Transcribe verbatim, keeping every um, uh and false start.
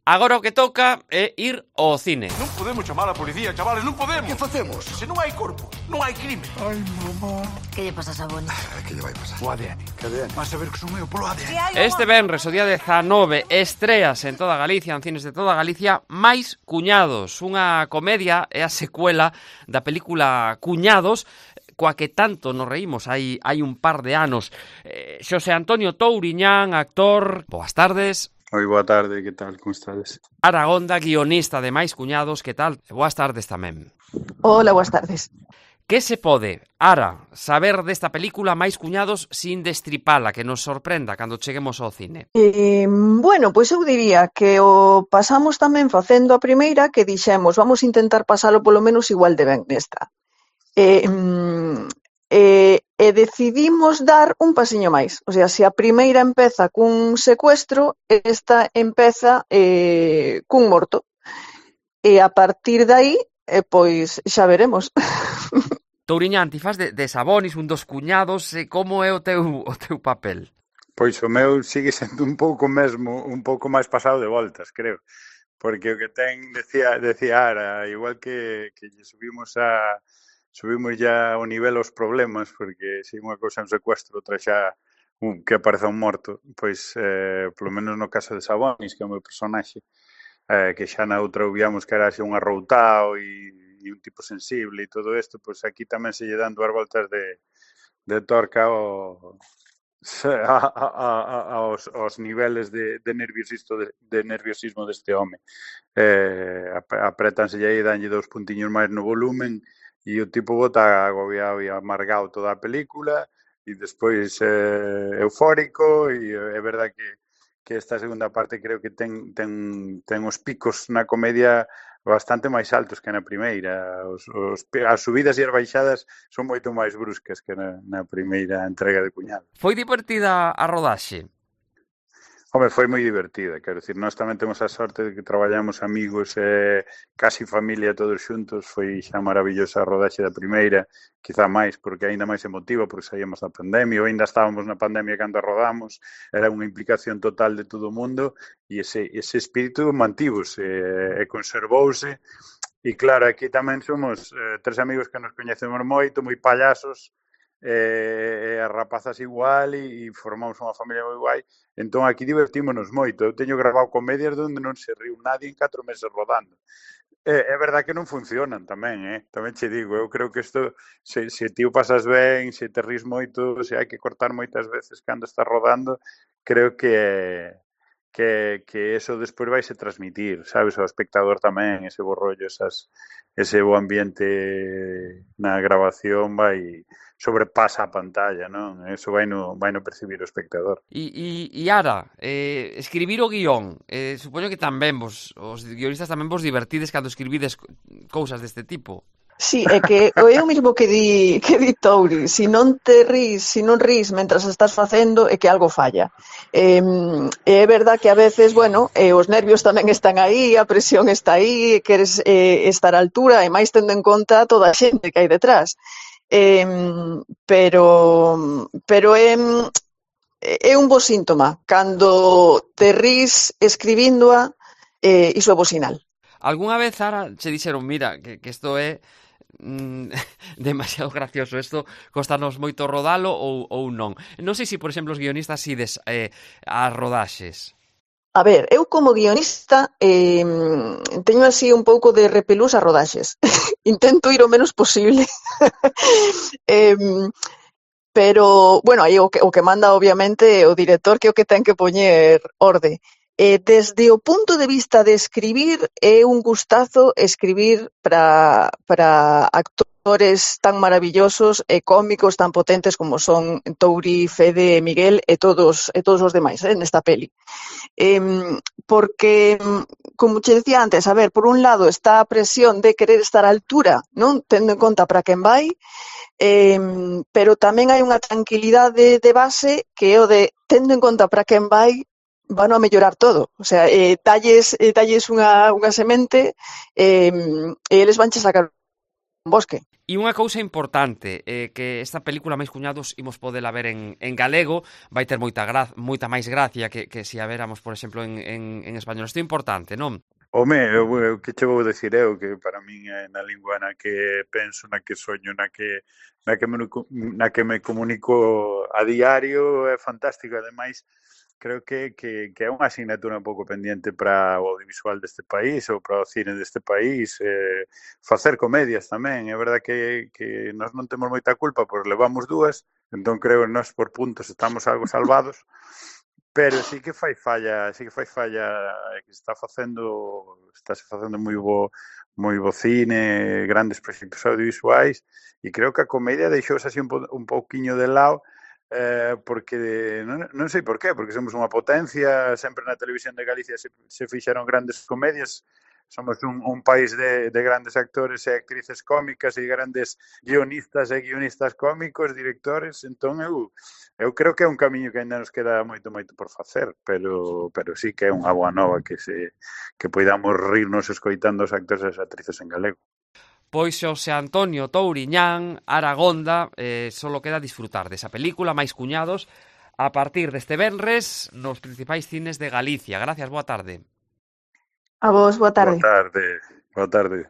Agora o que toca é ir ao cine. Non podemos chamar a policía, chavales, non podemos. Que facemos? Se non hai corpo, non hai crime. Ai, mamá. Que lle pasa a Saboni? Que lle vai pasar? O A D N. Que A D N? Vas a ver que son meu polo A D N. Este venres, o día dezanove, estreas en toda Galicia, en cines de toda Galicia, Máis Cuñados, unha comedia, é a secuela da película Cuñados, coa que tanto nos reímos hai, hai un par de anos. Eh, Xosé Antonio Touriñán, actor, boas tardes. Oi, boa tarde, que tal, como estades? Aragonda, guionista de Máis Cuñados, que tal? Boas tardes tamén. Hola, boas tardes. Que se pode, Ara, saber desta película Máis Cuñados sin destripala, que nos sorprenda cando cheguemos ao cine? Eh, bueno, pois eu diría que o pasamos tamén facendo a primeira, que dixemos, vamos intentar pasalo polo menos igual de ben nesta. Eh, e, e decidimos dar un pasiño máis. O sea, se a primeira empeza cun secuestro, esta empeza eh, cun morto. E a partir de aí, eh, pois xa veremos. Touriñán, ti faz de, de Sabonis, un dos cuñados, e como é o teu, o teu papel? Pois o meu sigue sendo un pouco mesmo, un pouco máis pasado de voltas, creo. Porque o que ten, decía, decía Ara, igual que, que lle subimos a subimos ya ao nivel os problemas, porque se unha cousa é un secuestro, outra xa un, que apareza un morto, pois eh, polo menos no caso de Sabonis, que é o meu personaxe, eh, que xa na outra obviamos que era así un arroutao e, e un tipo sensible e todo isto, pois aquí tamén se lle dan dúas voltas de, de torca ao, a, a, a, aos, aos niveles de, de, nerviosismo, de, de nerviosismo deste home. Eh, apretanse aí, danlle dous puntiños máis no volumen, e o tipo bota agobiado e amargado toda a película e despois eh, eufórico e é verdad que, que esta segunda parte creo que ten, ten, ten os picos na comedia bastante máis altos que na primeira. Os, os, as subidas e as baixadas son moito máis bruscas que na, na primeira entrega de Cuñado. Foi divertida a rodaxe? Home, foi moi divertida, quero dicir, nós tamén temos a sorte de que traballamos amigos e eh, casi familia todos xuntos, foi xa maravillosa a rodaxe da primeira, quizá máis, porque aínda máis emotiva, porque saíamos da pandemia, ou aínda estábamos na pandemia cando a rodamos, era unha implicación total de todo o mundo, e ese, ese espírito mantivose e, e conservouse, e claro, aquí tamén somos eh, tres amigos que nos coñecemos moito, moi payasos, e, e as rapazas igual e, e formamos unha familia moi guai, entón aquí divertímonos moito. Eu teño grabado comedias onde non se riu nadie en catro meses rodando. É, é verdad que non funcionan tamén, eh? Tamén che digo, eu creo que isto, se, se ti o pasas ben, se te ris moito, se hai que cortar moitas veces cando estás rodando, creo que que, que eso despois vai se transmitir, sabes, ao espectador tamén, ese bo rollo, esas, ese bo ambiente na grabación vai sobrepasa a pantalla, non? Eso vai no, vai no percibir o espectador. E, e, e Ara, eh, escribir o guión, eh, supoño que tamén vos, os guionistas tamén vos divertides cando escribides cousas deste tipo. Sí, é que é o mismo que di, que di Touri, se non te ris, se non ris mentras estás facendo é que algo falla. Eh, é verdad que a veces, bueno, eh, os nervios tamén están aí, a presión está aí, queres eh, estar á altura e máis tendo en conta toda a xente que hai detrás. Eh, pero pero é, é un bo síntoma cando te ris escribíndoa, eh, iso é bo sinal. Algúnha vez, Ara, che dixeron, mira, que, que isto é mm, demasiado gracioso, isto costanos moito rodalo ou, ou non? Non sei se, por exemplo, os guionistas ides eh, as rodaxes. A ver, eu como guionista eh, teño así un pouco de repelús a rodaxes. Intento ir o menos posible. eh, pero, bueno, aí o que, o que manda obviamente o director, que é o que ten que poñer orde. Eh, desde o punto de vista de escribir, é un gustazo escribir para para actores tan maravillosos e cómicos tan potentes como son Touri, Fede, Miguel e todos e todos os demais, eh, nesta peli. Eh, porque, como che decía antes, a ver, por un lado está a presión de querer estar á altura, non? Tendo en conta para quen vai, eh, pero tamén hai unha tranquilidade de base que é o de, tendo en conta para quen vai, van a mellorar todo. O sea, eh, talles, eh, talles unha, unha semente eh, e eles vanche sacar bosque. E unha cousa importante, eh, que esta película Máis cuñados imos podela ver en, en galego, vai ter moita, gra moita máis gracia que, que se a veramos, por exemplo, en, en, en español. Isto é importante, non? Home, eu, eu que che vou decir eu, que para min é na lingua na que penso, na que soño, na que, na que, me, na que me comunico a diario, é fantástico. Ademais, creo que, que, que é unha asignatura un pouco pendiente para o audiovisual deste país ou para o cine deste país, eh, facer comedias tamén. É verdad que, que nós non temos moita culpa, pois levamos dúas, entón creo que nós por puntos estamos algo salvados, pero sí que fai falla, sí que fai falla que se está facendo, está se facendo moi bo, moi bo cine, grandes proxectos audiovisuais, e creo que a comedia deixouse así un, po, un pouquiño de lado, eh, porque non, non sei por qué, porque somos unha potencia, sempre na televisión de Galicia se, se fixeron grandes comedias, somos un, un país de, de grandes actores e actrices cómicas e grandes guionistas e guionistas cómicos, directores, entón eu, eu creo que é un camiño que ainda nos queda moito, moito por facer, pero, pero sí que é unha boa nova que se que poidamos rirnos escoitando os actores e as actrices en galego. Pois Xosé Antonio Touriñán Aragonda, eh, solo queda disfrutar desa película Máis cuñados a partir deste venres nos principais cines de Galicia. Gracias, boa tarde. A vos, boa tarde. Boa tarde, boa tarde.